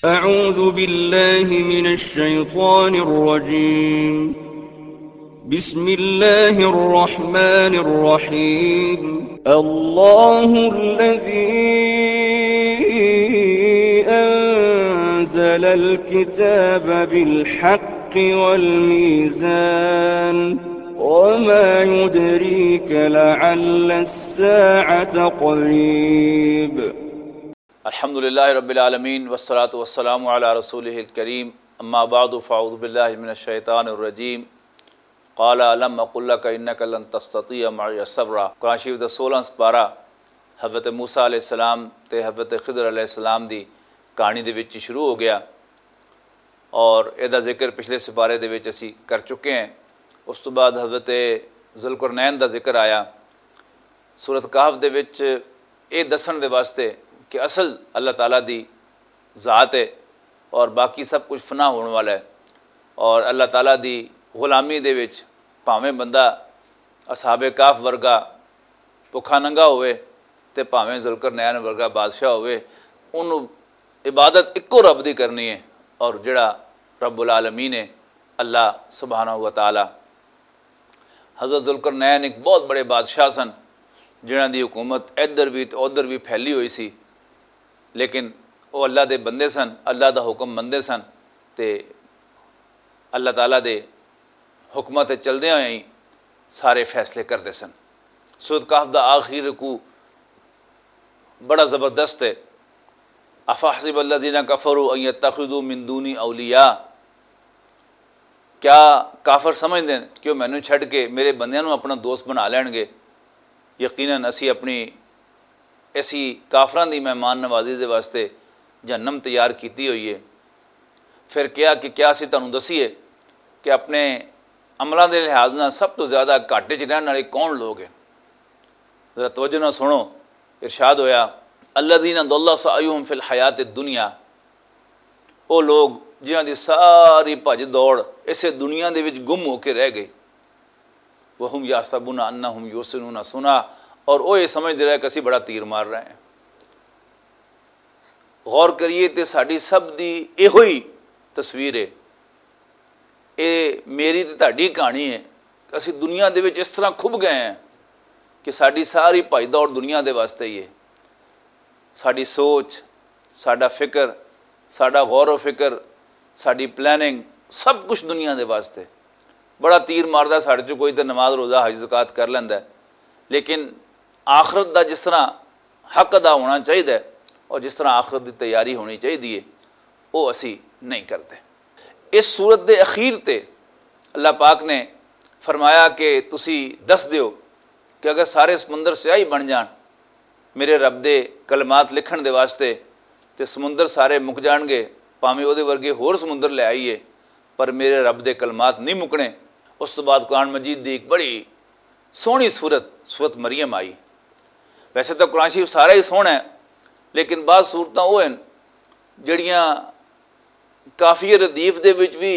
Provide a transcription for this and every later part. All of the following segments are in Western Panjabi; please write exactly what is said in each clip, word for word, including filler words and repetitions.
أعوذ بالله من الشيطان الرجيم. بسم الله الرحمن الرحيم. الله الذي أنزل الكتاب بالحق والميزان. وما يدريك لعل الساعة قريب. الحمد لله رب العالمين، والصلاة والسلام على رسوله الكريم. أما بعد، فأعوذ بالله من الشيطان الرجيم. قال ألم أقل لك إنك لن تستطيع معي صبرا. قرآن شریف دا سولہ سپارہ حضرت موسیٰ علیہ السلام تے حضرت خضر علیہ السلام دی کہانی دے وچ شروع ہو گیا، اور اے دا ذکر پچھلے سپارے دے وچ اسی کر چکے ہیں۔ اس تو بعد حضرت ذوالقرنین دا ذکر آیا۔ سورت کہف دے وچ اے دسن دے واسطے کہ اصل اللہ تعالیٰ دی ذات ہے اور باقی سب کچھ فنا ہون والا ہے، اور اللہ تعالیٰ دی غلامی دے وچ بھاویں بندہ اصحاب کہف ورگا بھکھا ننگا ہوئے تے بھاویں ذوالقرنین ورگا بادشاہ ہوئے، انہوں عبادت اکو رب دی کرنی ہے، اور جڑا رب العالمین ہے، اللہ سبحانہ و تعالیٰ۔ حضرت ذوالقرنین ایک بہت بڑے بادشاہ سن، جنہاں دی حکومت ادھر بھی تے ادھر بھی پھیلی ہوئی سی، لیکن وہ اللہ دے بندے سن، اللہ دا حکم مندے سن، تے اللہ تعالیٰ دے حکمت چلدے ہوئے ہی سارے فیصلے کردے سن۔ سورت کہف دا آخری رکوع بڑا زبردست ہے۔ افحسب الذین کفروا ان یتخذوا من دونی اولیاء، کیا کافر سمجھدے ہیں کہ وہ مینوں چھڈ کے میرے بندیاں نوں اپنا دوست بنا لین گے؟ یقیناً اسی اپنی ایسی کافراں دی مہمان نوازی دے واسطے جہنم تیار کیتی ہوئی ہے۔ پھر کہا کہ کیا اسی تانوں دسیے کہ اپنے عملاں دے لحاظ نال سب تو زیادہ گھاٹے چ رہن والے کون لوگ ہیں؟ ذرا توجہ نہ سنو، ارشاد ہویا، الذین ضل سعیہم فی الحیات الدنیا، او لوگ جنہاں دی ساری بھج دوڑ اسے دنیا دے وچ گم ہو کے رہ گئی، وہم یحسبون انہم یحسنون صنعا، اور او یہ سمجھدے رہے کہ اسی بڑا تیر مار رہے ہیں۔ غور کریے تے ساڈی سب دی ایہو ہی تصویر ہے۔ اے میری تے تہاڈی کہانی ہے کہ اسی دنیا دے وچ اس طرح کھب گئے ہیں کہ ساڈی ساری بھائی دور دنیا دے واسطے ہی ہے۔ ساڈی سوچ، ساڈا فکر، ساڈا غور و فکر، ساڈی پلاننگ، سب کچھ دنیا دے واسطے۔ بڑا تیر ماردا ساڈے چوں کوئی تے نماز، روزہ، حج، زکوٰۃ کر لیندا ہے، لیکن آخرت دا جس طرح حق ادا ہونا چاہیدا ہے اور جس طرح آخرت دی تیاری ہونی چاہیدی ہے، وہ اسی نہیں کرتے۔ اس سورت دے اخیر تے اللہ پاک نے فرمایا کہ تسی دس دیو کہ اگر سارے سمندر سیاہی بن جان میرے رب دے کلمات لکھن دے واسطے، تے سمندر سارے مک جان گے، پاویں او دے ورگے ہور سمندر لے آئیے، پر میرے رب دے کلمات نہیں مکنے۔ اس تو بعد قرآن مجید دی ایک بڑی سوہنی سورت، سورت مریم آئی۔ ویسے تو قرآن شریف سارا ہی سوہنا ہے، لیکن بعض سورتاں وہ ہیں جڑیاں کافی ردیف دے وچ بھی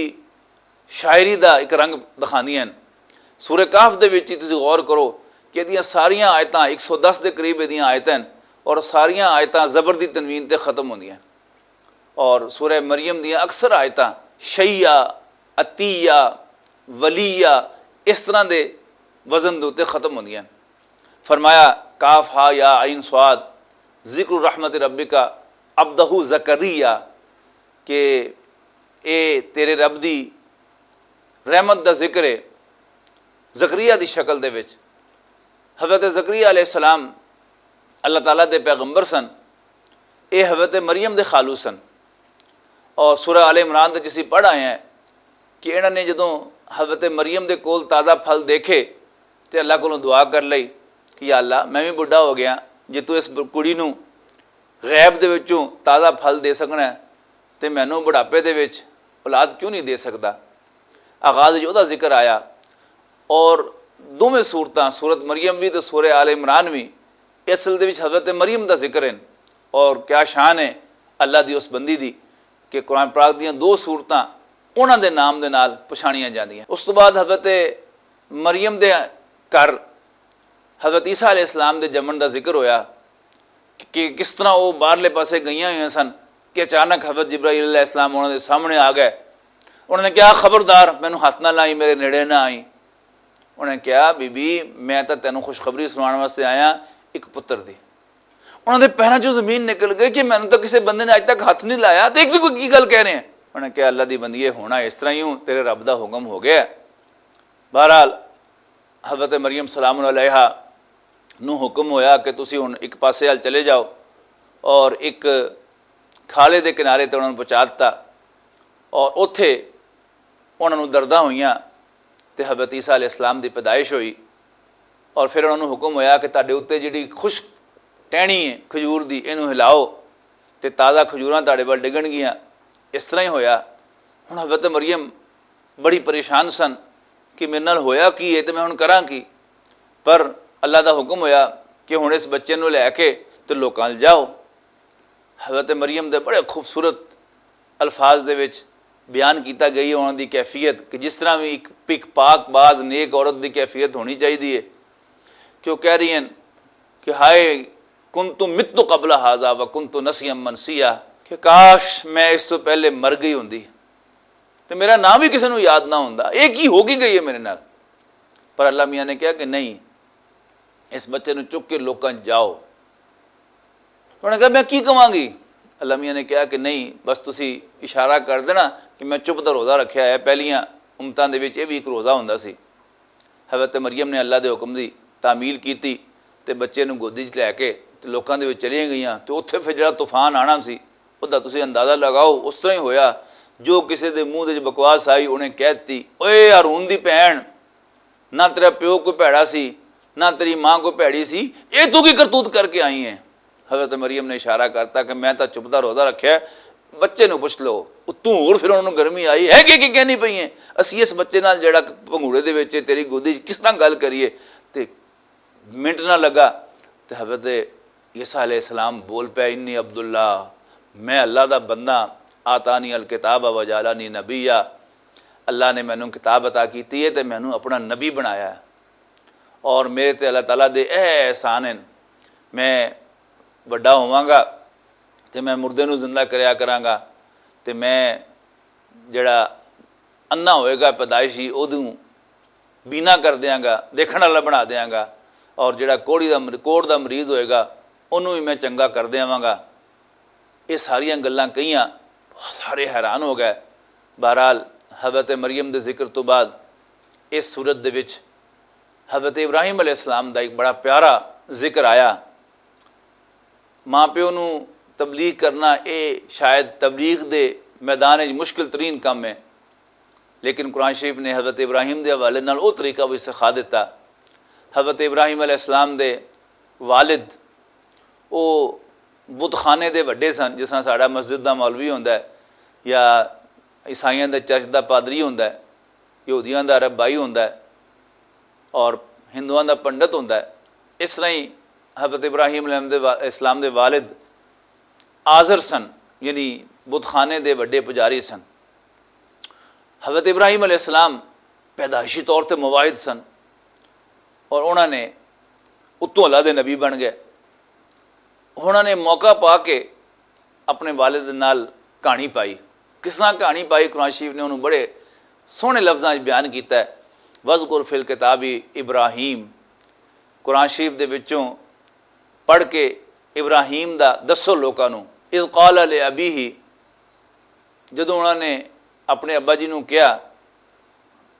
شاعری دا ایک رنگ دکھاندیاں ہیں۔ سورہ کہف دے وچ ہی تسی غور کرو کہ ادیاں ساریاں آیتاں، ایک سو دس دے قریب ادیاں آیتاں ہیں، اور ساریاں آیتاں زبر دی تنوین تے ختم ہوندیاں ہیں۔ اور سورہ مریم دیاں اکثر آیتاں شیعہ، عطیہ، ولیہ، اس طرح دے وزن دے اُتے ختم ہوندیاں ہیں۔ فرمایا، کاف ہا یا عین صاد، ذکر رحمت ربک عبدہ زکریا، کہ اے تیرے رب دی رحمت دا ذکر ہے زکریا دی شکل دے وچ۔ حضرت زکریا علیہ السلام اللہ تعالیٰ دے پیغمبر سن، اے حضرت مریم دے خالو سن۔ اور سورہ آل عمران تے جسی پڑھ آئے ہیں کہ انہاں نے جدوں حضرت مریم دے کول تازہ پھل دیکھے تے اللہ کولوں دعا کر لئی کہ یا اللہ، میں بھی بڈھا ہو گیا، جے تو اس کڑی نوں غیب دے وچوں تازہ پھل دے سکنا ہے تے مینوں بڑھاپے دے وچ اولاد کیوں نہیں دے سکدا؟ آغاز وچ اوہدا ذکر آیا۔ اور دوویں سورتاں، سورت مریم وی تے سورہ آل عمران وی، اصل دے وچ حضرت مریم دا ذکر ہیں۔ اور کیا شان ہے اللہ دی اس بندی دی کہ قرآن پاک دیاں دو سورتاں انہاں دے نام دے نال پچھانیاں جاندیاں۔ اس تو بعد حضرت مریم دے گھر حضرت عیسیٰ علیہ السلام دے جمن دا ذکر ہویا کہ کس طرح وہ باہرلے پاسے گئیاں ہوئیاں سن، یہ اچانک حضرت جبرائیل علیہ السلام انہوں نے سامنے آ گئے۔ انہوں نے کہا، "خبردار، مینوں ہاتھ نہ لائی، میرے نیڑے نہ آئی۔" انہوں نے کہا، "بی بی، میں تاں تینوں خوشخبری سناؤن واسطے آیا، ایک پتر دی۔" انہوں نے پیراں چوں زمین نکل گئی کہ مینوں تاں کسے بندے نے اج تک ہاتھ نہیں لایا، تے ایک بھی کوئی کی گل کہہ رہے ہیں؟ انہوں نے کہا، "اللہ دی بندیے، ہونا اس طرح ہی ہوں، تیرے رب دا حکم ہو گیا ہے۔" بہرحال، حضرت مریم سلام علیہا نو حکم ہویا کہ تسی ہن ایک پاسے حال چلے جاؤ، اور ایک کھالے دے کنارے تے انہاں نوں پہنچا دتا، اور اوتھے انہاں نوں درداں ہوئیاں تے حضرت عیسیٰ علیہ السلام دی پیدائش ہوئی۔ اور پھر انہاں نوں حکم ہویا کہ تہاڈے اُتے جڑی خشک ٹہنی ہے کھجور دی، اینوں ہلاؤ تے تازہ کھجوراں تہاڈے ول ڈگن گیاں۔ اس طرح ہی ہویا۔ ہن حضرت مریم بڑی پریشان سن کہ میرے نال ہویا کی ہے تے میں ہن کراں کی؟ پر اللہ دا حکم ہویا کہ ہن اس بچے نوں لے کے تے لوکاں ال جاؤ۔ حضرت مریم دے بڑے خوبصورت الفاظ دے وچ بیان کیتا گئی ہے انہاں دی کیفیت، کہ جس طرح بھی ایک پک پاک باز نیک عورت دی کیفیت ہونی چاہیے، کہ وہ کہہ رہی ہیں کہ "ہائے، کنت مت قبل ھذا و کنت نسیا منسیا"، کہ کاش میں اس تو پہلے مر گئی ہوندی تے میرا نام بھی کسی نوں یاد نہ ہوندا، یہ کی ہو کی گئی ہے میرے نال؟ پر اللہ میاں نے کہا کہ نہیں، اس بچے نوں چک کے لوکاں جاؤ۔ انہوں نے کہا، "میں کی کہاں گی؟" اللہ میاں نے کہا کہ نہیں، بس تسی اشارہ کر دینا کہ میں چپ دا روزہ رکھیا ہے۔ پہلیاں امتاں دے وچ یہ بھی ایک روزہ ہوندا سی۔ حضرت مریم نے اللہ دے حکم دی تعمیل کیتی تے بچے نوں گودی چ لے کے تے لوکاں دے وچ چلیاں گئیاں۔ تے اوتھے پھر جڑا طوفان آنا سی، او دا تسی اندازہ لگاؤ، اس طرح ہی ہویا۔ جو کسے دے منہ دے وچ بکواس آئی، انہیں کہہ دتی، "اوئے ہارون دی بھین، نہ تیرا پیو کوئی بھیڑا سی، نہ تیری ماں کوئی بھیڑی سی، اے تو کی کرتوت کر کے آئی ہیں؟" حضرت مریم نے اشارہ کرتا کہ میں تاں چپ دا روزہ رکھیا ہے، بچے نوں پچھ لو۔ اتوں ہور پھر انہاں نوں گرمی آئی ہے کہ کی کہنی پئی ہے، اسی اس بچے نال جڑا پنگوڑے دے وچ ہے، تیری گودی وچ کس طرح گل کریے؟ تے منٹ نہ لگا تے حضرت عیسیٰ علیہ السلام بول پیا، "انی عبداللہ، میں اللہ دا بندہ، آتانی الکتاب و جعلانی نبیا، اللہ نے مینوں کتاب عطا کیتی ہے تے مینوں اپنا نبی بنایا ہے، اور میرے تے اللہ تعالیٰ دے اے احسان ہیں، میں وڈا ہوواں گا تے میں مردے نوں زندہ کریا کراں گا، تے میں جڑا انا ہوئے گا پیدائشی، اودوں بینا کر دیاں گا، دیکھن والا بنا دیاں گا، اور جڑا کوڑی دا مر-، کوڑ دا مریض ہوئے گا، انہوں بھی میں چنگا کر دیاں گا۔" یہ ساریاں گلاں کہیاں، سارے حیران ہو گئے۔ بہرحال، حضرت مریم دے ذکر تو بعد اس صورت دے وچ حضرت ابراہیم علیہ السلام دا ایک بڑا پیارا ذکر آیا۔ ماں پیو نوں تبلیغ کرنا، اے شاید تبلیغ دے میدان وچ مشکل ترین کم ہے، لیکن قرآن شریف نے حضرت ابراہیم دے حوالے نال او طریقہ بھی سکھا دیتا۔ حضرت ابراہیم علیہ السلام دے والد، او بت خانے دے وڈے سن، جس طرح ساڈا مسجد دا مولوی ہوندا ہے یا عیسائیاں دے چرچ دا پادری ہوندا ہے، یہودیاں دا ربائی ہوندا ہے اور ہندوؤں دا پنڈت ہوندا ہے۔ اس طرح ہی حضرت ابراہیم علیہ السلام دے وا-، اسلام دے والد آزر سن، یعنی بت خانے دے وڈے پجاری سن۔ حضرت ابراہیم علیہ السلام پیدائشی طور تے مواحد سن اور انہوں نے اتوں اللہ دے نبی بن گئے۔ انہوں نے موقع پا کے اپنے والد نال کہانی پائی۔ کس طرح کہانی پائی؟ قرآن شریف نے انہوں بڑے سوہنے لفظاں وچ بیان کیتا ہے، "وذکر فی الکتاب ابراہیم۔" قرآن شریف دے وچوں پڑھ کے ابراہیم دا دسو لوکاں نوں۔ "اذ قال لابیہ"، جدوں انہوں نے اپنے ابا جی نوں کہا،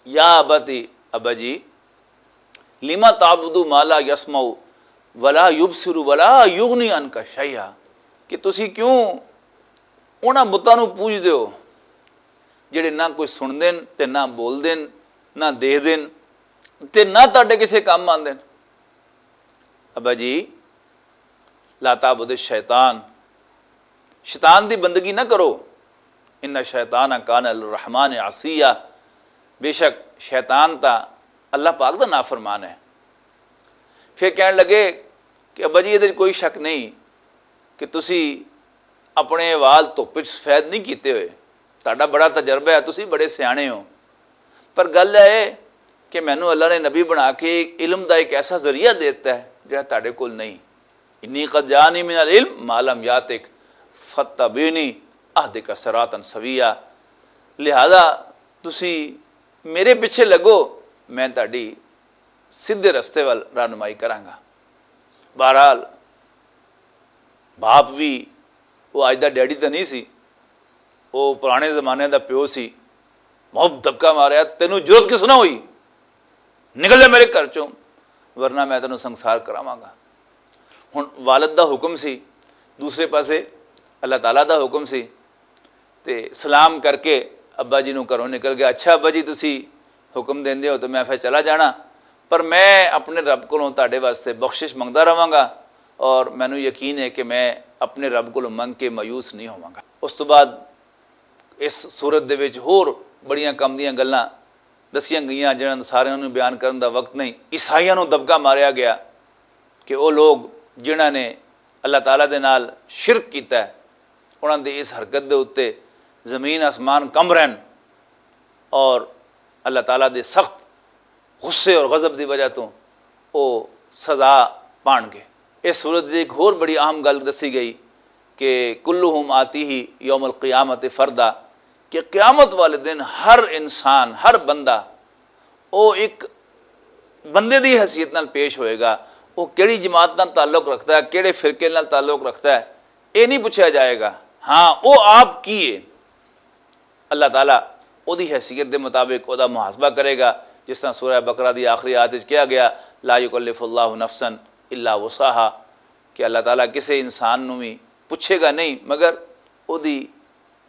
"یا ابتی"، ابا جی، "لما تعبد ما لا یسمع ولا یبصر ولا یغنی عنک شیئا"، کہ تسی کیوں انہاں بتاں نوں پوجدے ہو جڑے نہ کوئی سن دین تے نہ بول دین، نہ دیکھ دین تے نہ تہاڈے کسے کم آندے نے؟ ابا جی، "لا تعبد الشیطان"، شیطان دی بندگی نہ کرو، "ان الشیطان کان للرحمن عصیا"، بے شک شیطان تا اللہ پاک دا نافرمان ہے۔ پھر کہن لگے کہ ابا جی، یہ کوئی شک نہیں کہ تسی اپنے وال دھپ وچ سفید نہیں کیتے ہوئے، تہاڈا بڑا تجربہ ہے، تسی بڑے سیانے ہو، پر گل یہ ہے کہ مینوں اللہ نے نبی بنا کے علم دا ایک ایسا ذریعہ دے دتا ہے جڑا تہاڈے کول نہیں۔ "انی قد جانی من العلم ما لم یاتک فاتبعنی"، اہدک صراطا سویا، لہذا تسی میرے پیچھے لگو، میں تہاڈی سیدھے رستے ول رہنمائی کراں گا۔ بہرحال، باپ بھی، وہ اج دا ڈیڈی تاں نہیں سی، وہ پرانے زمانے دا پیو سی۔ محب دبکا ماریا، تینوں جرت کس نہ ہوئی؟ نکل جا میرے گھر چوں، ورنہ میں تینوں سنسار کراواں گا۔ ہن والد دا حکم سی، دوسرے پاسے اللہ تعالیٰ دا حکم سی۔ تے سلام کر کے ابا جی نوں گھروں نکل گیا۔ اچھا ابا جی، تسی حکم دیندے ہو تو میں پھر چلا جانا، پر میں اپنے رب کولوں تہاڈے واسطے بخشش منگدا رہواں گا، اور مینوں یقین ہے کہ میں اپنے رب کولوں منگ کے مایوس نہیں ہوواں گا۔ اس تو بعد اس سورت دے وچ ہور بڑیاں کم دیاں گلاں دسیاں گئیاں، جنہاں ساریاں نوں بیان کرن دا وقت نہیں۔ عیسائیاں نوں دبکا ماریا گیا کہ او لوگ جنہاں نے اللہ تعالیٰ دے نال شرک کیتا ہے، انہاں دی اس حرکت دے اُتے زمین آسمان کمب رہن، اور اللہ تعالیٰ دے سخت غصے اور غضب دی وجہ توں او سزا پان گے۔ اس سورت دی ایک ہور بڑی اہم گل دسی گئی کہ کلہم آتیہ یوم القیامت فردا، کہ قیامت والے دن ہر انسان، ہر بندہ، او ایک بندے دی حیثیت نال پیش ہوئے گا۔ او کیڑی جماعت نال تعلق رکھدا ہے، کیڑے فرقے نال تعلق رکھدا ہے، اے نہیں پوچھا جائے گا۔ ہاں، او آپ کی ہے؟ اللہ تعالیٰ اودی حیثیت دے مطابق اودا محاسبہ کرے گا۔ جس طرح سورہ بقرہ دی آخری آیت وچ کہا گیا، لا یکلف اللہ نفسا الا وسعها، کہ اللہ تعالیٰ کسے انسان نوں وی پوچھے گا نہیں مگر اودی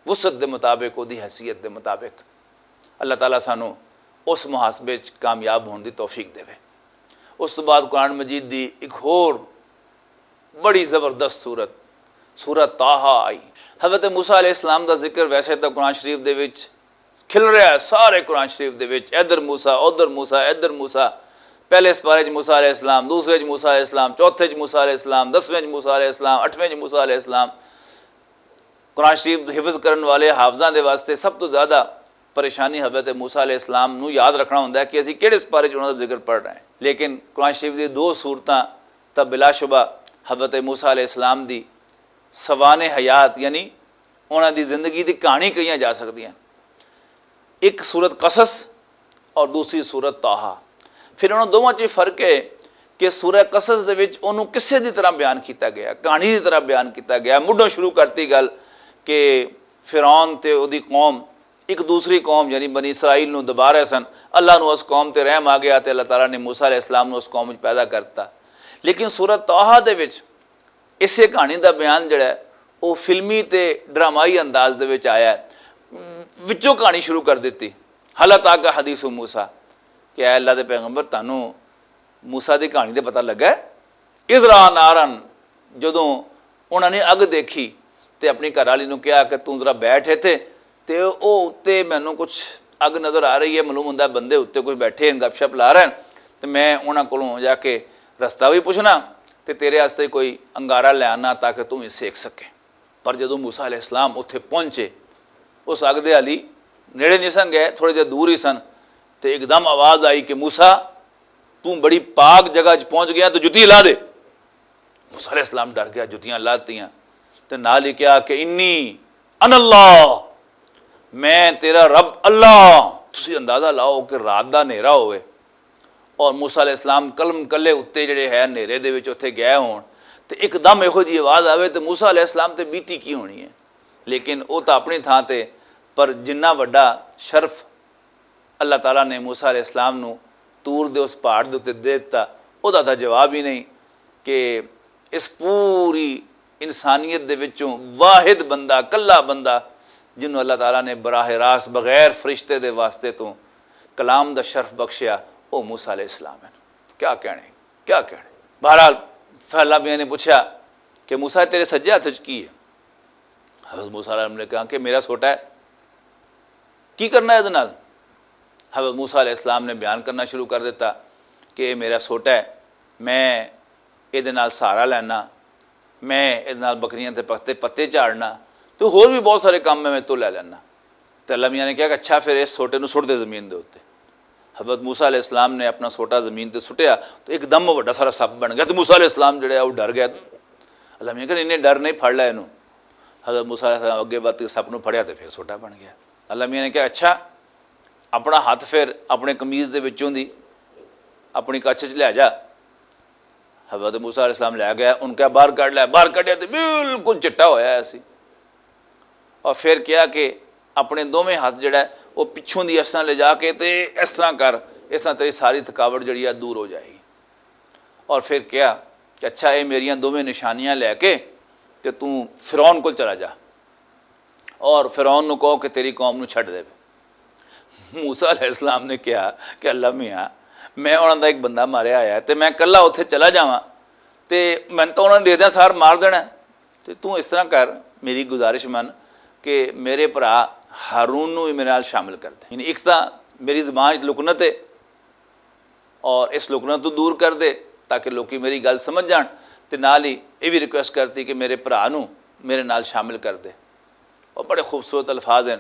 وسعت دے مطابق، اودی حیثیت دے مطابق۔ اللہ تعالیٰ سانوں اس محاسبے وچ کامیاب ہون دی توفیق دے۔ اس تو بعد قرآن مجید دی ایک ہور بڑی زبردست سورت، سورت طٰہٰ آئی۔ حضرت موسیٰ علیہ السلام دا ذکر ویسے تاں قرآن شریف دے وچ کھل رہا ہے، سارے قرآن شریف دے وچ، ادھر موسیٰ، ادھر موسیٰ، ادھر موسیٰ۔ پہلے سپارے وچ موسیٰ علیہ السلام، دوسرے وچ موسیٰ علیہ السلام، چوتھے وچ موسیٰ علیہ السلام، دسویں وچ موسیٰ علیہ السلام، اٹھویں وچ موسیٰ علیہ السلام۔ قرآن شریف حفظ کرن والے حافظاں دے واسطے سب تو زیادہ پریشانی حضرت موسیٰ علیہ السلام نو یاد رکھنا ہوندا ہے کہ اسی کہڑے سپارے چ انہاں دا ذکر پڑھ رہے ہیں۔ لیکن قرآن شریف دی دو سورتاں تاں بلا شبہ حضرت موسیٰ علیہ السلام دی سوانح حیات، یعنی انہاں دی زندگی دی کہانی کہیاں جا سکدیاں۔ ایک سورت قصص اور دوسری سورت طٰہٰ۔ پھر انہاں دوواں چ فرق ہے کہ سورہ قصص دے وچ انہوں قصے دی طرح بیان کیتا گیا، کہانی دی طرح بیان کیتا گیا۔ مڈوں شروع کرتی گل کہ فرعون تے اودی قوم ایک دوسری قوم یعنی بنی اسرائیل نوں دبا رہے سن، اللہ نوں اس قوم تے رحم آ گیا تے اللہ تعالیٰ نے موسیٰ علیہ السلام نوں اس قوم وچ پیدا کر دتا۔ لیکن سورت طٰہٰ دے وچ اسے کہانی دا بیان جڑا ہے، وہ فلمی تے ڈرامائی انداز دے وچ آیا ہے۔ وچوں کہانی شروع کر دتی، حل اتاک حدیث موسیٰ، کہ اے اللہ دے پیغمبر، تانوں موسیٰ دی کہانی تے پتہ لگا ہے؟ اذ رأى نارا، جدوں انہاں نے اگ دیکھی تے اپنی گھر والی نوں کہا کہ توں ذرا بیٹھ ایتھے، تے او اُتے مینوں کچھ اگ نظر آ رہی ہے، معلوم ہوندا ہے بندے اُتے کچھ بیٹھے ہیں، گپ شپ لا رہے ہیں، تے میں انہاں کولوں جا کے رستہ وی پوچھنا تے تیرے واسطے کوئی انگارہ لے آنا تاکہ توں وی سیک سکے۔ پر جدوں موسیٰ علیہ السلام اوتھے پہنچے، اس اگ دے حالی نیڑے نہیں سن گئے، تھوڑے جے دور ہی سن، تے اک دم آواز آئی کہ موسیٰ، توں بڑی پاک جگہ چ پہنچ گیا، تو جتی لا دے۔ موسیٰ علیہ السلام ڈر گیا، جتیاں لاتیاں تے نال ہی کہا کہ انی انا اللہ، میں تیرا رب اللہ۔ تسی اندازہ لاؤ کہ رات دا نیرا ہوئے اور موسیٰ علیہ السلام قلم کلے اُتے جڑے ہے نیرے دے وچ اُتھے گئے ہون، تے اک دم ایہو جی آواز آوے تے موسیٰ علیہ السلام تے بیتی کی ہونی ہے؟ لیکن او تاں اپنی تھاں تے، پر جنہ وڈا شرف اللہ تعالیٰ نے موسیٰ علیہ السلام نوں طور دے اس پہاڑ دے اُتے دے دتا، او دا تاں جواب ہی نہیں کہ اس پوری انسانیت دے وچوں واحد بندہ، کلا بندہ، جنوں اللہ تعالیٰ نے براہ راست بغیر فرشتے دے واسطے تو کلام دا شرف بخشیا، او موسیٰ علیہ السلام ہے۔ کیا کہنے، کیا کہنے؟ بہرحال، پھیلا میاں نے پوچھا کہ موسیٰ، تیرے سجے ہاتھ وچ کی ہے؟ حضرت موسیٰ علیہ السلام نے کہا کہ میرا سوٹا ہے، کی کرنا ہے ادھے نال؟ حضرت موسیٰ علیہ السلام نے بیان کرنا شروع کر دیتا کہ یہ میرا سوٹا ہے، میں ادھے نال سہارا لینا، میں ادھے نال بکریاں تے پتے پتے چاڑنا، تو ہور بھی بہت سارے کام میں میں تو لے لینا۔ تے اللہ میاں نے کہا کہ اچھا، پھر اس سوٹے نو سٹ دے زمین دے اُتے۔ حضرت موسیٰ علیہ السلام نے اپنا سوٹا زمین تے سٹیا، تو ایک دم وہ بڑا سارا سپ بن گیا۔ تو موسیٰ علیہ السلام جڑے آ، وہ ڈر گیا۔ اللہ میاں کہا، انہیں ڈر نہیں، پھڑ لے اینو۔ حضرت موسیٰ علیہ السلام اگے ودھ کے سپ نوں پھڑیا تے پھر سوٹا بن گیا۔ اللہ میاں نے کہا، "اچھا، اپنا ہاتھ پھر اپنے قمیض دے وچوں دی اپنی کچھ چ لے جا۔" حضرت موسیٰ علیہ السلام لے گیا، ان کا باہر کڈ لیا، باہر کڈیا تے بالکل چٹا ہویا ہے سی۔ اور پھر کیا کہ اپنے دوویں ہاتھ جڑا ہے، وہ پچھوں دی اس طرح لے جا کے تے اس طرح کر، اس طرح تیری ساری تھکاوٹ جڑی ہے دور ہو جائے گی۔ اور پھر کیا کہ اچھا، یہ میریاں دوویں نشانیاں لے کے تے توں فرعون کول چلا جا، اور فرعون نوں کہو کہ تیری قوم نوں چھڈ دے۔ موسیٰ علیہ السلام نے کہا کہ اللہ میاں، میں انہاں دا ایک بندہ ماریا آیا ہے تے میں کلا اتھے چلا جاواں تے میں تو انہاں نے دے دیاں سار مار دینا ہے۔ تے توں اس طرح کر، میری گزارش من کہ میرے بھرا ہارون نوں بھی میرے نال شامل کر دے۔ یعنی ایک تاں میری زبان وچ لکنت ہے، اور اس لکنت تو دور کر دے تاکہ لوکی میری گل سمجھ جان۔ تے نال ہی یہ بھی ریکویسٹ کرتی کہ میرے بھرا نوں میرے نال شامل کر دے۔ اور بڑے خوبصورت الفاظ ہیں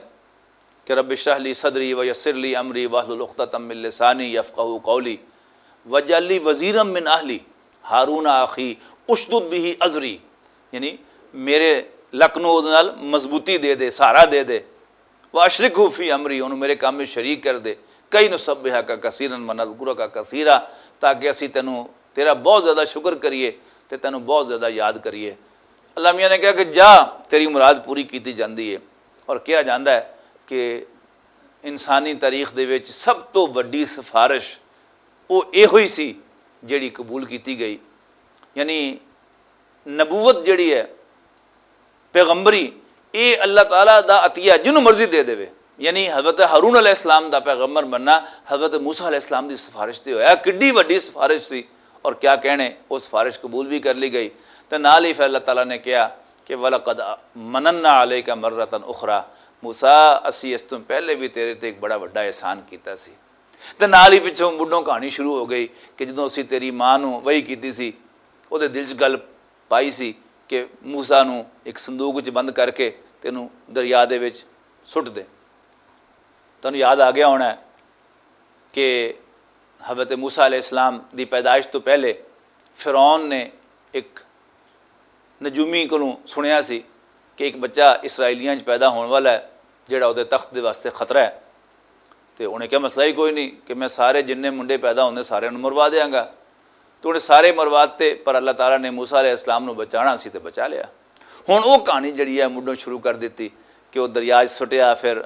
کہ "رب اشرح لی صدری و یسر لی امری واحلل عقدۃ من لسانی یفقہوا قولی واجعل لی وزیرا من اہلی ہارون اخی اشدد بہ ازری"، یعنی میرے لک نوں اودے نال مضبوطی دے دے، سہارا دے دے۔ "واشرکہ فی امری"، انہوں میرے کام میں شریک کر دے۔ "کئی نسبحک کثیرا و نذکرک کثیرا"، تاکہ اسی تینوں، تیرا بہت زیادہ شکر کریے تے تینوں بہت زیادہ یاد کریے۔ اللہ میاں نے کہا کہ جا، تیری مراد پوری کیتی جاندی ہے۔ اور کہا جاندا ہے کہ انسانی تاریخ دے وچ سب تو وڈی سفارش وہ ایہو ہی سی جیڑی قبول کیتی گئی۔ یعنی نبوت جڑی ہے، پیغمبری، اے اللہ تعالیٰ دا عطیہ جنوں مرضی دے دے۔ یعنی حضرت ہارون علیہ السلام دا پیغمبر بننا حضرت موسیٰ علیہ السلام دی سفارش تے ہویا۔ کڈی وڈی سفارش سی، اور کیا کہنے، وہ سفارش قبول بھی کر لی گئی۔ تے نال ہی پھر اللہ تعالیٰ نے کہا کہ "وَلَقَدْ مَنَنَّا عَلَيْكَ مَرَّةً أُخْرَىٰ"، موسیٰ، اسی اس توں پہلے بھی تیرے تے ایک بڑا وڈا احسان کیتا سی۔ تے نال ہی پچھوں مڈوں کہانی شروع ہو گئی کہ جدوں اسی تیری ماں نوں وحی کیتی سی، او دے دل چ گل پائی سی کہ موسیٰ نوں ایک صندوق وچ بند کر کے تینوں دریا دے وچ سٹ دے۔ تانوں یاد آ گیا ہونا ہے کہ حضرت موسیٰ علیہ السلام دی پیدائش تو پہلے فرعون نے ایک نجومی کولوں سنیا سی کہ ایک بچہ اسرائیلیاں 'چ پیدا ہون والا ہے، جڑا اودے تخت دے واسطے خطرہ ہے۔ تے انہیں کہا، "مسئلہ ہی کوئی نہیں کہ میں سارے جننے منڈے پیدا ہوندے سارے نوں مروا دیاں گا۔" تو انہیں سارے مروا دتے، پر اللہ تعالیٰ نے موسیٰ علیہ السلام نوں بچانا سی تے بچا لیا۔ ہن او کہانی جڑی ہے مڈوں شروع کر دتی کہ او دریا 'چ سٹیا، پھر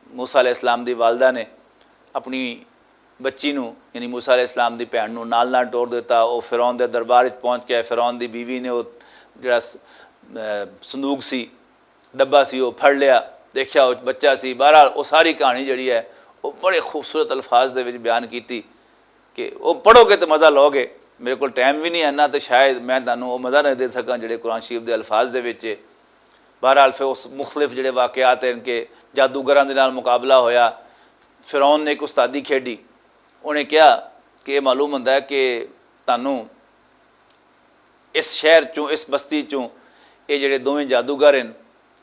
موسیٰ علیہ السلام دی والدہ نے اپنی بچی نوں، یعنی موسیٰ علیہ السلام دی بھین نوں نال نال ٹور دتا۔ او فرعون دے دربار وچ پہنچ کے فرعون دی بیوی نے او جڑا س-، اے، صندوق سی، ڈبہ سی، او پھڑ لیا، دیکھیا او بچہ سی۔ بہرحال او ساری کہانی جڑی ہے او بڑے خوبصورت الفاظ دے وچ بیان کیتی کہ او پڑھو گے تے مزہ لو گے۔ میرے کول ٹائم بھی نہیں ہے نا، تے شاید میں تانوں او مزہ نہ دے سکاں جڑے قرآن شریف دے الفاظ دے وچ ہے۔ بہرحال پھر اس مختلف جڑے واقعات ہیں کہ جادوگراں دے نال مقابلہ ہویا، فرعون نے ایک استادی کھیڈی۔ انہیں کہا کہ یہ معلوم ہوندا ہے کہ تانوں اس شہر چوں، اس بستی چوں، یہ جڑے دوویں جادوگر ہیں،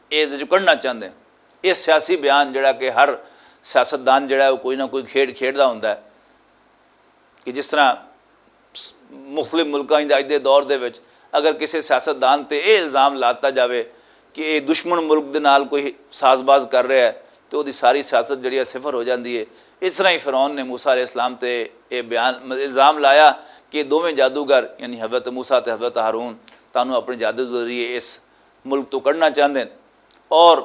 یہ چوں کڈنا چاہندے ہیں۔ یہ سیاسی بیان جڑا کہ ہر سیاستدان جڑا ہے وہ کوئی نہ کوئی کھیڈ کھیڈدا ہوندا ہے کہ جس طرح مختلف ملکاں دے اج دے دور دے وچ اگر کسی سیاستدان تے یہ الزام لاتا جاوے کہ یہ دشمن ملک دے نال کوئی ساز باز کر رہا ہے تو وہ ساری سیاست جڑی ہے صفر ہو جاندی ہے۔ اس طرح ہی فرعون نے موسیٰ علیہ السلام تے یہ بیان، الزام لایا کہ یہ دوویں جادوگر یعنی حضرت موسیٰ تے حضرت ہارون تانوں اپنے جادو ذریعے اس ملک تو کڈنا چاہندے ہیں۔ اور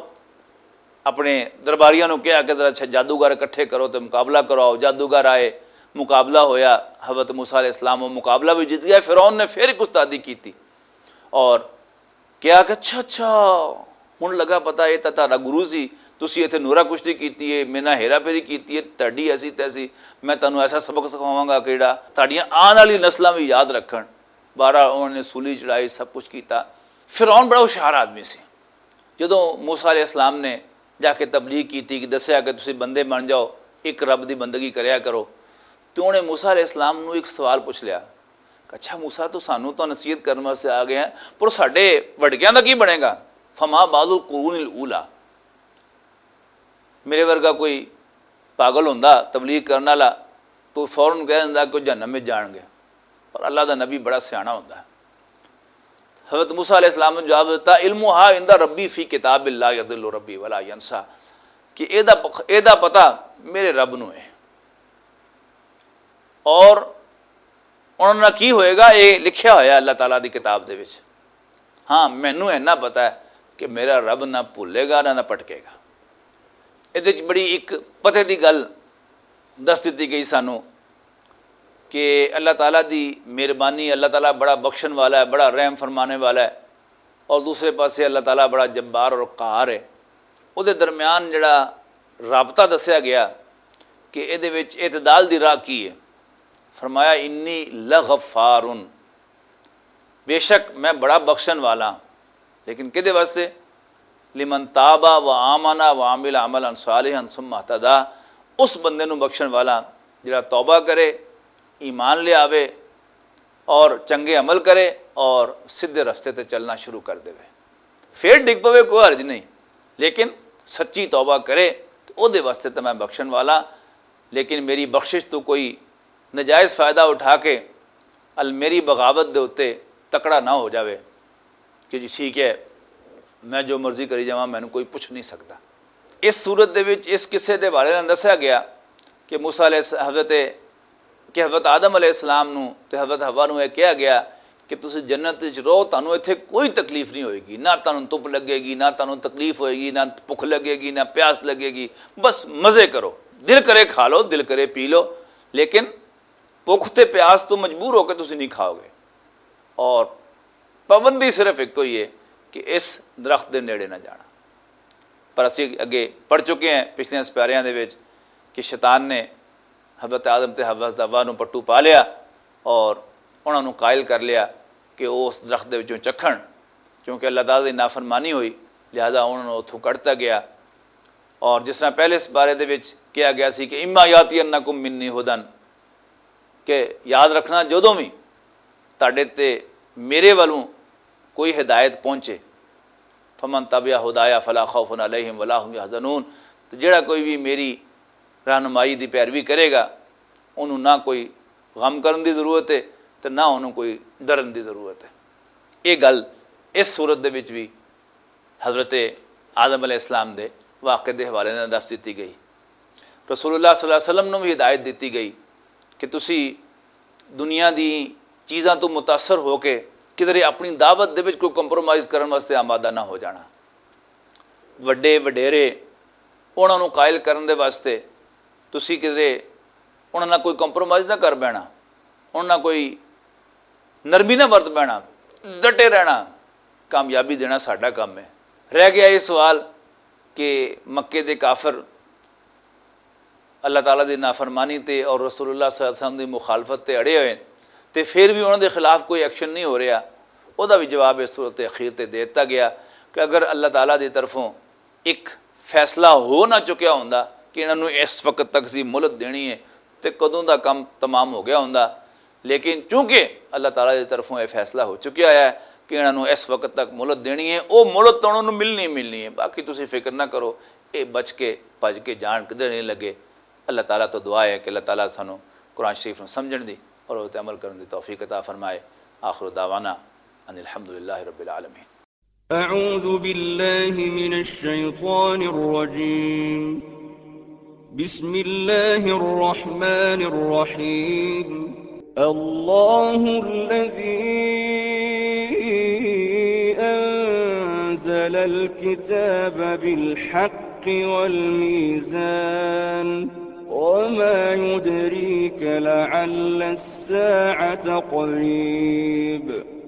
اپنے درباریاں نوں کہا کہ ذرا اچھا جادوگر اکٹھے کرو تے مقابلہ کراؤ۔ جادوگر آئے، مقابلہ ہویا، حضرت موسیٰ علیہ السلام وہ مقابلہ بھی جیت گیا۔ فرعون نے پھر ایک استادی کیتی اور کہا کہ اچھا اچھا، ہن لگا پتا یہ تاں تہاڈا گرو سی، تسی ایتھے نورا کشتی کیتی ہے، میرے نال ہیرا پھیری کیتی ہے، تہاڈی ایسی تیسی، میں تانوں ایسا سبق سکھاواں گا کہ جڑا تہاڈیاں آن والی نسلاں بھی یاد رکھن۔ بارہ انہوں نے سولی چڑھائی، سب کچھ کیتا۔ فرعون بڑا ہوشیار آدمی سی۔ جدوں موسیٰ علیہ السلام نے جا کے تبلیغ کیتی کہ دسیا کہ تسی بندے بن جاؤ، ایک رب دی بندگی کریا کرو، تو انہیں موسیٰ علیہ السلام نوں ایک سوال پوچھ لیا کہ اچھا موسیٰ، تو سانوں تو نصیحت کرنے واسطے آ گئے ہیں، پر ساڈے وڈکیاں دا کی بنے گا؟ فما بال القرون الاولا۔ میرے ورگا کوئی پاگل ہوندا تبلیغ کرن والا تو فوراً کہہ دیندا کہ جہنم وچ جان گے۔ پر اللہ دا نبی بڑا سیاݨا ہوندا ہے۔ حضرت موسیٰ علیہ السلام نے جواب دیتا، "علمها عند ربی فی کتاب اللہ، یضل ربی ولا ینسیٰ"، کہ اے دا پخ-، اے دا پتہ میرے رب نو ہے۔ اور انہاں نال کی ہوئے گا، اے لکھیا ہویا اللہ تعالیٰ دی کتاب دے وچ۔ ہاں، مینوں اینا پتہ ہے کہ میرا رب نہ بھولے گا، نہ، نہ پٹکے گا۔ ایہدے وچ بڑی ایک پتے دی گل دس دتی گئی سانوں کہ اللہ تعالیٰ دی مہربانی، اللہ تعالیٰ بڑا بخشن والا ہے، بڑا رحم فرمانے والا ہے، اور دوسرے پاسے اللہ تعالیٰ بڑا جبار اور قہار ہے۔ او دے درمیان جڑا رابطہ دسیا گیا کہ اے دے وچ اعتدال دی راہ کی ہے۔ فرمایا، "انی لغفارن"، بے شک میں بڑا بخشن والا ہاں۔ لیکن کدے واسطے؟ "لمن تاب و آمن و عمل عملا صالحا ثم اہتدی"، اس بندے نو بخشن والا جڑا توبہ کرے، ایمان لے آوے اور چنگے عمل کرے اور سیدھے رستے تے چلنا شروع کر دے۔ پھر ڈگ پوے، کوئی حرج نہیں، لیکن سچی توبہ کرے تو او دے واسطے تے میں بخشن والا۔ لیکن میری بخشش تو کوئی نجائز فائدہ اٹھا کے ال میری بغاوت دے اُتے تکڑا نہ ہو جاوے کہ جی ٹھیک ہے، میں جو مرضی کری جاواں، مینوں کوئی پوچھ نہیں سکدا۔ اس صورت دے وچ اس قصے دے حوالے نال دسیا گیا کہ موسیٰ علیہ الس-، حضرت، کہ حضرت آدم علیہ السلام نوں تے حضرت حوا نوں یہ کہا گیا کہ تسی جنت وچ رہو، تانوں ایتھے کوئی تکلیف نہیں ہوئے گی، نہ تانوں تپ لگے گی، نہ تانوں تکلیف ہوئے گی، نہ بھکھ لگے گی، نہ پیاس لگے گی، بس مزے کرو، دل کرے کھا لو، دل کرے پی لو، لیکن بھکھ تے پیاس تو مجبور ہو کے تسی نہیں کھاؤ گے۔ اور پابندی صرف ایک ہوئی ہے کہ اس درخت دے نیڑے نہ جانا۔ پر اسی اگے پڑھ چکے ہیں پچھلیاں سپاریاں دے وچ کہ شیطان نے حضرت آدم تے حضرت حوا نوں پٹو پا لیا اور انہاں نوں قائل کر لیا کہ وہ اس درخت دے وچوں چکھن، کیونکہ اللہ تعالیٰ دی نافرمانی ہوئی، لہذا انہاں نوں اتھوں کڈتا گیا۔ اور جس طرح پہلے اس بارے دے وچ کہا گیا سی کہ "اما یاتی انکم منی ہدن"، کہ یاد رکھنا، جدوں بھی تہاڈے تے میرے والوں کوئی ہدایت پہنچے، "فمن تبع ہدایا فلا خوف علیہم ولا هم يحزنون"، تو جڑا کوئی بھی میری رہنمائی دی پیروی کرے گا، انہوں نہ کوئی غم کرن دی ضرورت ہے تے نہ انہوں کوئی ڈرن دی ضرورت ہے۔ یہ گل اس صورت دے وچ بھی حضرت آدم علیہ السلام دے واقعے دے حوالے نال دس دتی گئی۔ رسول اللہ صلی اللہ علیہ وسلم نوں بھی ہدایت دتی گئی کہ تسی دنیا دی چیزاں تو متاثر ہو کے کدھر اپنی دعوت دے وچ کوئی کمپرومائز کرن واسطے آمادہ نہ ہو جانا۔ وڈے وڈیرے انہاں نوں قائل کرن دے واسطے تسی کدھر انہاں نال کوئی کمپرومائز نہ کر بینا، انہاں نال کوئی نرمی نہ ورت بینا، ڈٹے رہنا، کامیابی دینا ساڈا کم ہے۔ رہ گیا یہ سوال کہ مکے دے کافر اللہ تعالیٰ دی نافرمانی تے اور رسول اللہ صلی اللہ علیہ وسلم دی مخالفت تے اڑے ہوئے تے پھر بھی انہاں دے خلاف کوئی ایکشن نہیں ہو رہا، او دا بھی جواب اس صورت اخیر تے دے دتا گیا کہ اگر اللہ تعالیٰ دی طرفوں ایک فیصلہ ہو نہ چکیا ہوندا کہ انہاں نوں اس وقت تک سی مہلت دینی ہے تے کدوں دا کم تمام ہو گیا ہوندا، لیکن چونکہ اللہ تعالیٰ دی طرفوں یہ فیصلہ ہو چکیا ہے کہ انہاں نوں اس وقت تک مہلت دینی ہے، او مہلت تو انہاں نوں ملنی ملنی ہے، باقی تسی فکر نہ کرو، اے بچ کے بھج کے جان کدھر نہیں لگے۔ اللہ تعالیٰ تو دعا ہے کہ اللہ تعالیٰ سانوں قرآن شریف نوں سمجھن دی اور اس تے عمل کرن دی توفیق عطا فرمائے۔ آخر دعوانا ان الحمدللہ رب العالمین۔ أعوذ بالله من الشيطان الرجيم. بسم الله الرحمن الرحيم. الله الذي أنزل الكتاب بالحق والميزان. وما يدريك لعل الساعة قريب.